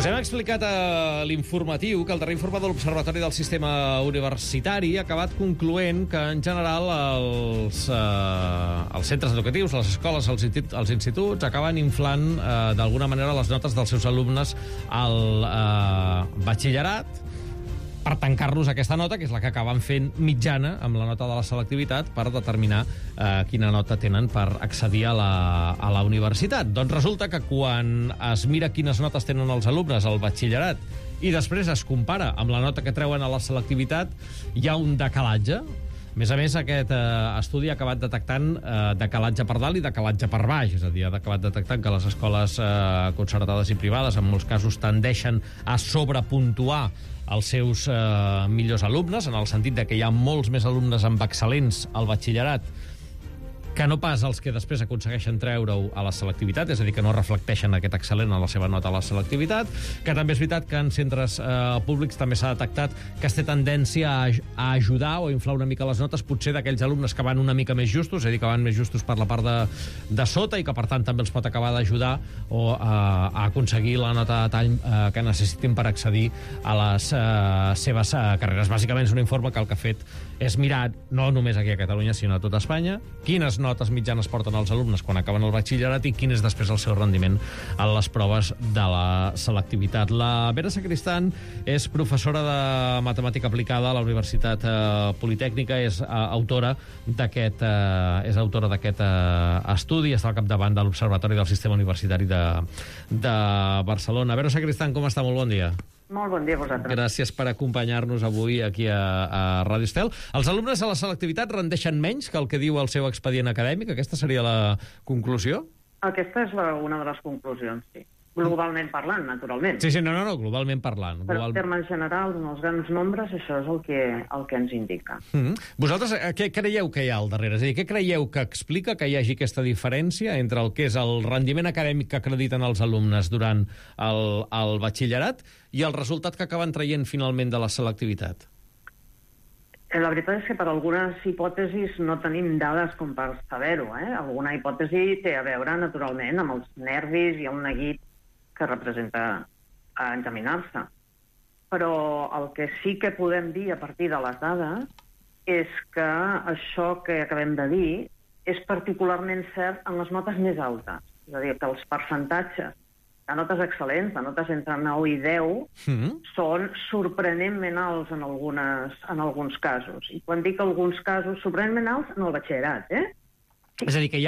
Us hem explicat a l'informatiu que el darrer informe de l'Observatori del Sistema Universitari ha acabat concloent que, en general, els centres educatius, les escoles, els instituts, acaben inflant, d'alguna manera, les notes dels seus alumnes al batxillerat per tancar-los aquesta nota, que és la que acaben fent mitjana amb la nota de la selectivitat per determinar quina nota tenen per accedir a la universitat. Doncs resulta que quan es mira quines notes tenen els alumnes al batxillerat i després es compara amb la nota que treuen a la selectivitat, hi ha un decalatge. A més, aquest estudi ha acabat detectant decalatge per dalt i decalatge per baix, és a dir, ha acabat detectant que les escoles concertades i privades en molts casos tendeixen a sobrepuntuar els seus millors alumnes, en el sentit de que hi ha molts més alumnes amb excel·lents al batxillerat que no pas els que després aconsegueixen treure-ho a la selectivitat, és a dir, que no reflecteixen aquest excel·lent a la seva nota a la selectivitat, que també és veritat que en centres públics també s'ha detectat que es té tendència a ajudar o a inflar una mica les notes, potser d'aquells alumnes que van una mica més justos, és a dir, que van més justos per la part de sota i que, per tant, també els pot acabar d'ajudar o a aconseguir la nota de tall que necessitin per accedir a les seves carreres. Bàsicament és un informe que el que ha fet és mirar, no només aquí a Catalunya, sinó a tota Espanya, quines notes mitjanes porten els alumnes quan acaben el batxillerat i quin és després el seu rendiment a les proves de la selectivitat. La Vera Sacristán és professora de matemàtica aplicada a la Universitat Politècnica, és autora d'aquest estudi, està al capdavant de l'Observatori del Sistema Universitari de Barcelona. Vera Sacristán, com està? Molt bon dia. Molt bon dia a vosaltres. Gràcies per acompanyar-nos avui aquí a Ràdio Estel. Els alumnes a la selectivitat rendeixen menys que el que diu el seu expedient acadèmic? Aquesta seria la conclusió? Aquesta és una de les conclusions, sí. Globalment parlant, naturalment. Sí, no, globalment parlant. Però en termes generals, en els grans nombres, això és el que ens indica. Vosaltres què creieu que hi ha al darrere? És a dir, què creieu que explica que hi hagi aquesta diferència entre el que és el rendiment acadèmic que acrediten els alumnes durant el batxillerat i el resultat que acaben traient finalment de la selectivitat? La veritat és que per algunes hipòtesis no tenim dades com per saber-ho. Alguna hipòtesi té a veure, naturalment, amb els nervis i el neguit que representa examinar-se. Però el que sí que podem dir a partir de les dades és que això que acabem de dir és particularment cert en les notes més altes. És a dir, que els percentatges de notes excel·lents, de notes entre 9 i 10, són sorprenentment alts en alguns casos. I quan dic alguns casos, sorprenentment alts en el batxillerat, És a dir, que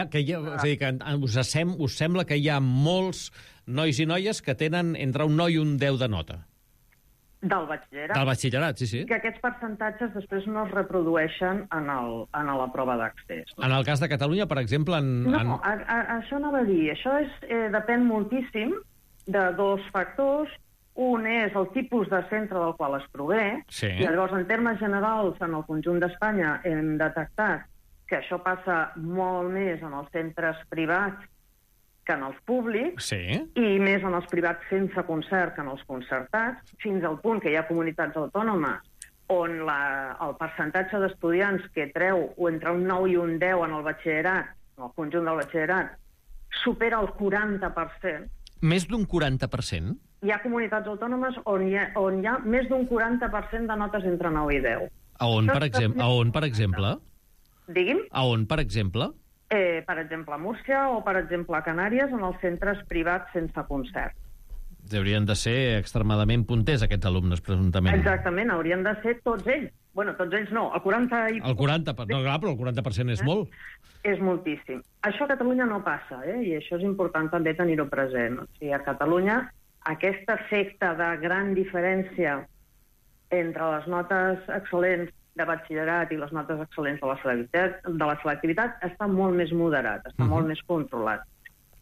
us sembla que hi ha molts nois i noies que tenen entre un 9 i un 10 de nota? Del batxillerat. Del batxillerat, sí. Que aquests percentatges després no es reprodueixen en la prova d'accés. En el cas de Catalunya, per exemple... No, això no va dir. Això depèn moltíssim de dos factors. Un és el tipus de centre del qual es prové, i llavors, en termes generals, en el conjunt d'Espanya hem detectat que això passa molt més en els centres privats que en els públics, i més en els privats sense concert que en els concertats, fins al punt que hi ha comunitats autònomes on el percentatge d'estudiants que treu entre un 9 i un 10 en el batxillerat, en el conjunt del batxillerat, supera el 40%. Més d'un 40%? Hi ha comunitats autònomes on hi ha més d'un 40% de notes entre 9 i 10. A on, per exemple? Digui'm? A on, per exemple? Per exemple, a Múrcia o, per exemple, a Canàries, en els centres privats sense concert. Haurien de ser extremadament punters, aquests alumnes, presumptament. Exactament, haurien de ser tots ells. Bueno, tots ells no, el 40%... No, clar, però el 40% és molt. És moltíssim. Això a Catalunya no passa, i això és important també tenir-ho present. O sigui, a Catalunya, aquest efecte de gran diferència entre les notes excel·lents de batxillerat i les notes excel·lents de la selectivitat està molt més moderat, està molt més controlat.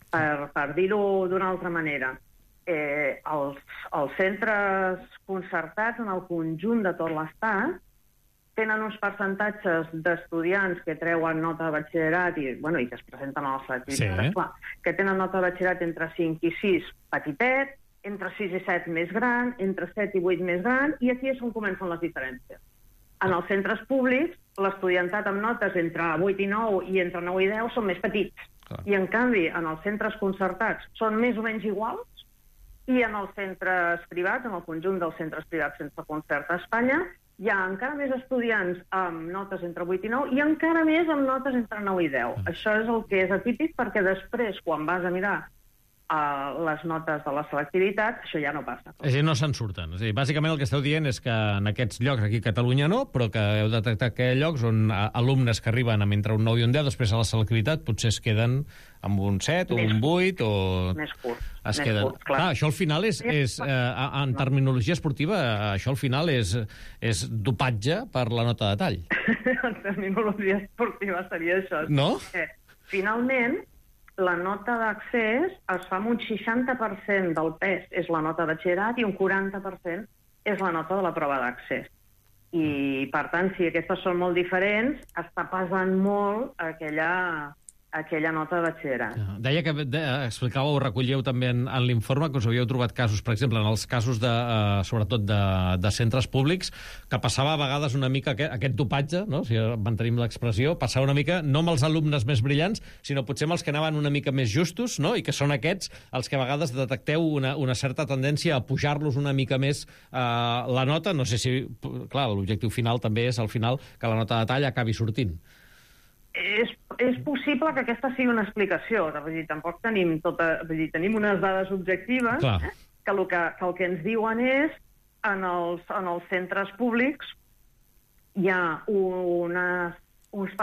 Per dir-ho d'una altra manera, els centres concertats en el conjunt de tot l'Estat tenen uns percentatges d'estudiants que treuen nota de batxillerat i que es presenten a la selectivitat, que tenen nota de batxillerat entre 5 i 6 petitet, entre 6 i 7 més gran, entre 7 i 8 més gran, i aquí és on comencen les diferències. En els centres públics, l'estudiantat amb notes entre 8 i 9 i entre 9 i 10 són més petits. I, en canvi, en els centres concertats són més o menys iguals, I en els centres privats, en el conjunt dels centres privats sense concert a Espanya, hi ha encara més estudiants amb notes entre 8 i 9 i encara més amb notes entre 9 i 10. Això és el que és atípic, perquè després, quan vas a mirar les notes de la selectivitat, això ja no passa. És a dir, no se'n surten. És a dir, bàsicament el que esteu dient és que en aquests llocs, aquí a Catalunya no, però que heu detectat que hi ha llocs on alumnes que arriben amb entre un 9 i un 10, després a la selectivitat potser es queden amb un 7 o un 8 o... Més curt. Es queden... clar. Això al final és en terminologia esportiva, això al final és dopatge per la nota de tall. En terminologia esportiva seria això. No? Finalment, la nota d'accés es fa amb un 60% del pes és la nota de batxillerat i un 40% és la nota de la prova d'accés. I, per tant, si aquestes són molt diferents, està pesant molt aquella nota de batxillerat. Deia que explicàveu, recollíeu també en l'informe que us havíeu trobat casos, per exemple, en els casos sobretot de centres públics, que passava a vegades una mica aquest dopatge, no? Si mantenim l'expressió, passava una mica, no amb els alumnes més brillants, sinó potser amb els que anaven una mica més justos, no? I que són aquests els que a vegades detecteu una certa tendència a pujar-los una mica més la nota. No sé si, clar, l'objectiu final també és, al final, que la nota de tall acabi sortint. És possible que aquesta sigui una explicació. Vull dir, tampoc tenim tenim unes dades objectives, que el que ens diuen és en els centres públics hi ha uns